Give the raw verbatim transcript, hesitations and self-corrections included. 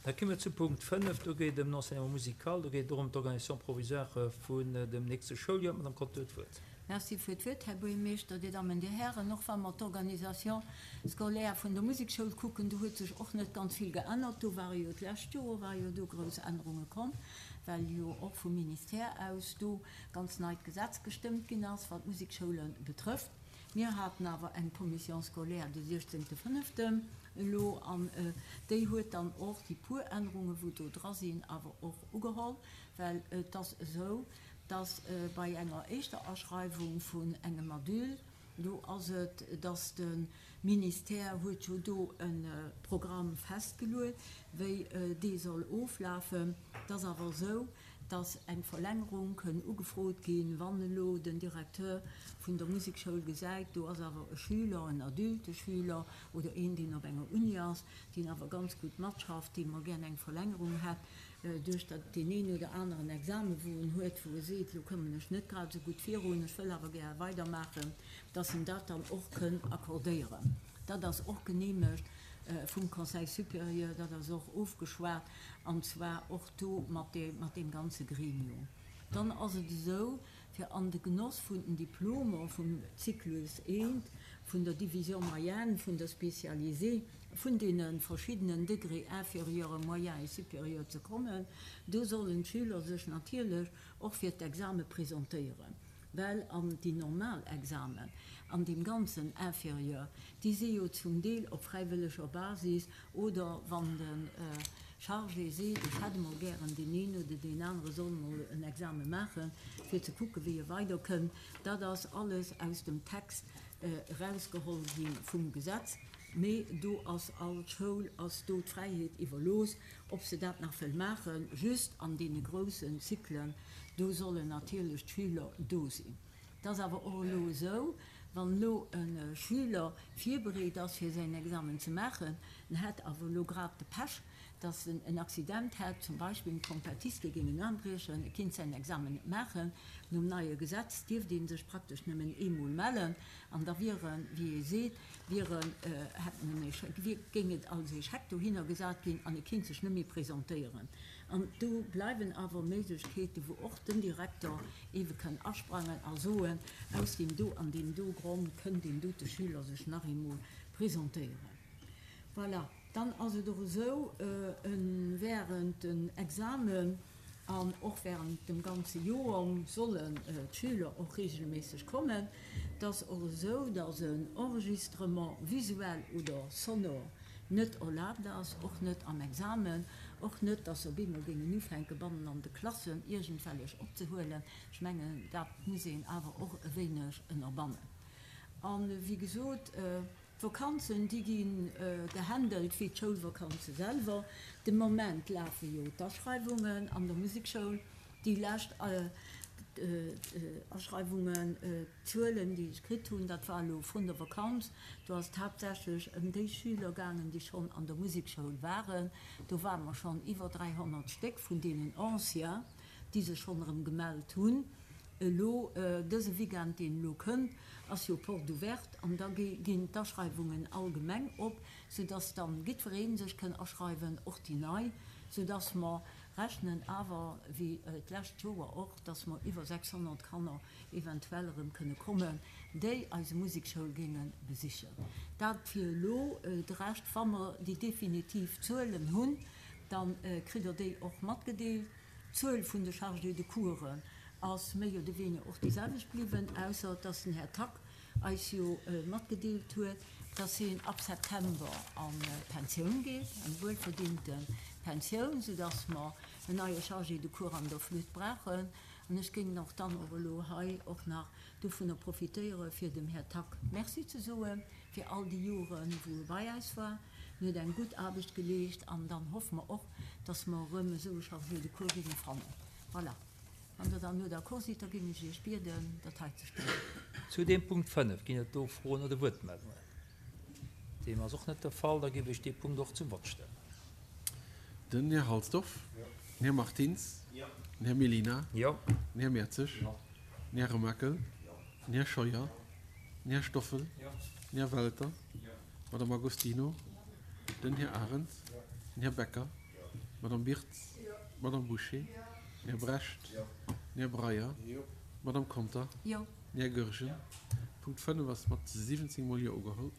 Da komme mer zu Punkt fënnef, do geet et ëm den Enseignement musical, do geet et och ëm d'Organisation provisoire vun dem nächste Schouljoer. D'Madame Conter huet d'Wuert. Merci fir d'Wuert, Här Buergermeeschter, Dir Dammen, Dir Hären. Och wa mer d'Organisation scolaire vun der Musekschoul kucken, do huet sech och net ganz vill geännert. Do ware jo d'lescht Joer ware jo do grouss Ännerunge komm, well jo och vum Ministère aus do ganz neit Gesetz gestëmmt ginn ass, wat d'Musekschoule betrëfft. Mir haten awer eng Commission scolaire de siechzéngte fënneften elo an déi huet dann och déi puer Ännerungen, wou do dra sinn, awer och ugeholl, well et ass esou, dass bei enger éischter Aschreiwung vun engem Adulte, do ass et, dass de Ministère huet jo do e Programm festgeluet, wéi dee soll oflafen. Et ass awer esou, dass eng Verlängerung kënn ugefrot ginn, wann elo den Directeur vun der Musekschoul gesäit, do ass awer e Schüler, en adulte Schüler oder een, deen op enger Uni ass, deen awer ganz gutt matschafft, dee mol gär eng Verlängerung hätt duerch dat deen een oder aneren Examen, wou en huet, wou e seet, elo kommen ech net grad esou gutt virun, ech wëll awer gär weidermaachen, dass en dat dann och kënn accordéieren. Dat ass och genehmegt vum Conseil supérieur, dat ass och ofgeschwat, an zwar och do mat deem ganze Gremium. Dann ass et esou, fir an de Genoss vun den Diplomer vum Zyklus I, vun der Division moyenne, vun der Spécialisée, vun deene verschiddenen Degrés inférieur, moyen et supérieur ze kommen, do sollen d'Schüler sech natierlech och fir d'Exame presentéieren. Well an déi normal Examen an deem ganzen Inférieur, déi si jo zum Deel op fräiwëlleger Basis oder wann de Chargé seet, ech hätt emol gären deen een oder deen anere soll emol en Exame maachen, fir ze kucken, wéi e weiderkënnt. Dat ass alles aus dem Text erausgeholl gi vum Gesetz. Mee do ass all Schoul ass do d'Fräiheet iwwerlooss, ob se dat nach wëll maachen. Just an deene groussen Zyklen, do sollen natierlech d'Schüler do sinn. Et ass awer och elo esou, wann elo e Schüler virbereet ass, fir säin Examen ze maachen, en hätt awer elo grad de Pech, dass en en Accident hätt, zum Beispill en Trompettiste géing en Aarm briechen, e kinnt säin Examen net maachen. Nom neie Gesetz dierft ee sech praktesch nëmmen eemol mellen an da wier en, wéi ee seet, wier en, hätt en en Échec, wier, géing et als Échec dohinner gesat ginn an e kinnt sech net méi presentéieren. An do bleiwen awer Méiglechkeeten, wou och den Direkter eebe kënn asprangen a soen, aus deem do an deem do Grond kënn deen dote Schüler sech nach eemol presentéieren. Voilà. Dann ass et och esou, während den Examen an och während dem ganze Joer sollen d'Schüler och regelméisseg kommen. Et ass och esou, dass en Enregistrement visuel oder sonore net erlaabt ass, och net am Examen, och net, dass se op eemol géingen ufänken, bannen an de Klassen iergendwellech opzehuelen. Ech mengen, dat muss een awer och e wéineg ënnerbannen. A wéi gesot, d'Vakanzen, déi gi gehandelt wéi d'Schoulvakanze selwer. De Moment lafe jo d'Aschreiwungen an der Musekschoul. Déi lescht Aschreiwungen, d'Zuelen, déi ech kritt hunn, dat war elo vrun der Vakanz, do ass et haaptsächlech ëm déi Schüler gaangen, déi schonn an der Musekschoul waren. Do ware mer schonn iwwer dräihonnert Stéck vun deenen Anciens, déi sech schonn erëm gemellt hunn. Elo dëse Weekend, deen elo kënnt, ass jo Porte ouverte an da ginn d'Aschreiwungen allgemeng op, soudass dann jiddweree sech kënn aschreiwen, och déi Nei, soudass mer rechnen awer, wéi d'lescht Joer och, dass mer iwwer sechshonnert Kanner eventuell erëm kënne kommen, déi eise Musekschoul géinge besichen. Dat fir elo. De Rescht, wa mer déi definitiv Zuelen hunn, da kritt Der déi och matgedeelt. D'Zuel vun de Chargés de coursen ass méi oder weniger och déi selwecht bliwwen, ausser dass den Här Tack eis jo matgedeelt huet, dass hien ab September a Pensioun geet, eng wuelverdiente Pensioun, soudass mer en neie Chargé de cours an der Flütt brauchen. An ech géing och dann och elo hei och nach dovunner profitéiere fir dem Här Tack Merci ze soe fir all déi Joren, wou e bei eis war. En huet eng gutt Aarbecht geleescht an dann hoffe mer och, dass mer erëm esou e Chargé de cours géinge fannen. Voilà. Wann Der dann elo d'accord sidd, da géing ech Iech bieden, dat hei ze stëmmen. Zu deem Punkt fënnef, ginn et do Froen oder Wuertmeldungen? Deem ass och net de Fall. Da géif ech dee Punkt och zum Vott stellen. Den Här Halsdorf. Den Här Martins. Den Här Mellina. Den Här Mertzig. Den Här Remakel. Den Här Scheuer. Den Här Stoffel. Den Här Welter. D'Madame Agostino. Den Här Arendt. Den Här Becker. Madame Birtz. Jo. Madame Boucher. Jo. Den Här Brecht. Jo. Den Här Breyer. Jo. Madame Conter. Jo. Den Här Goergen. Punkt fënnef ass mat siwwenzéng mol Jo ugeholl.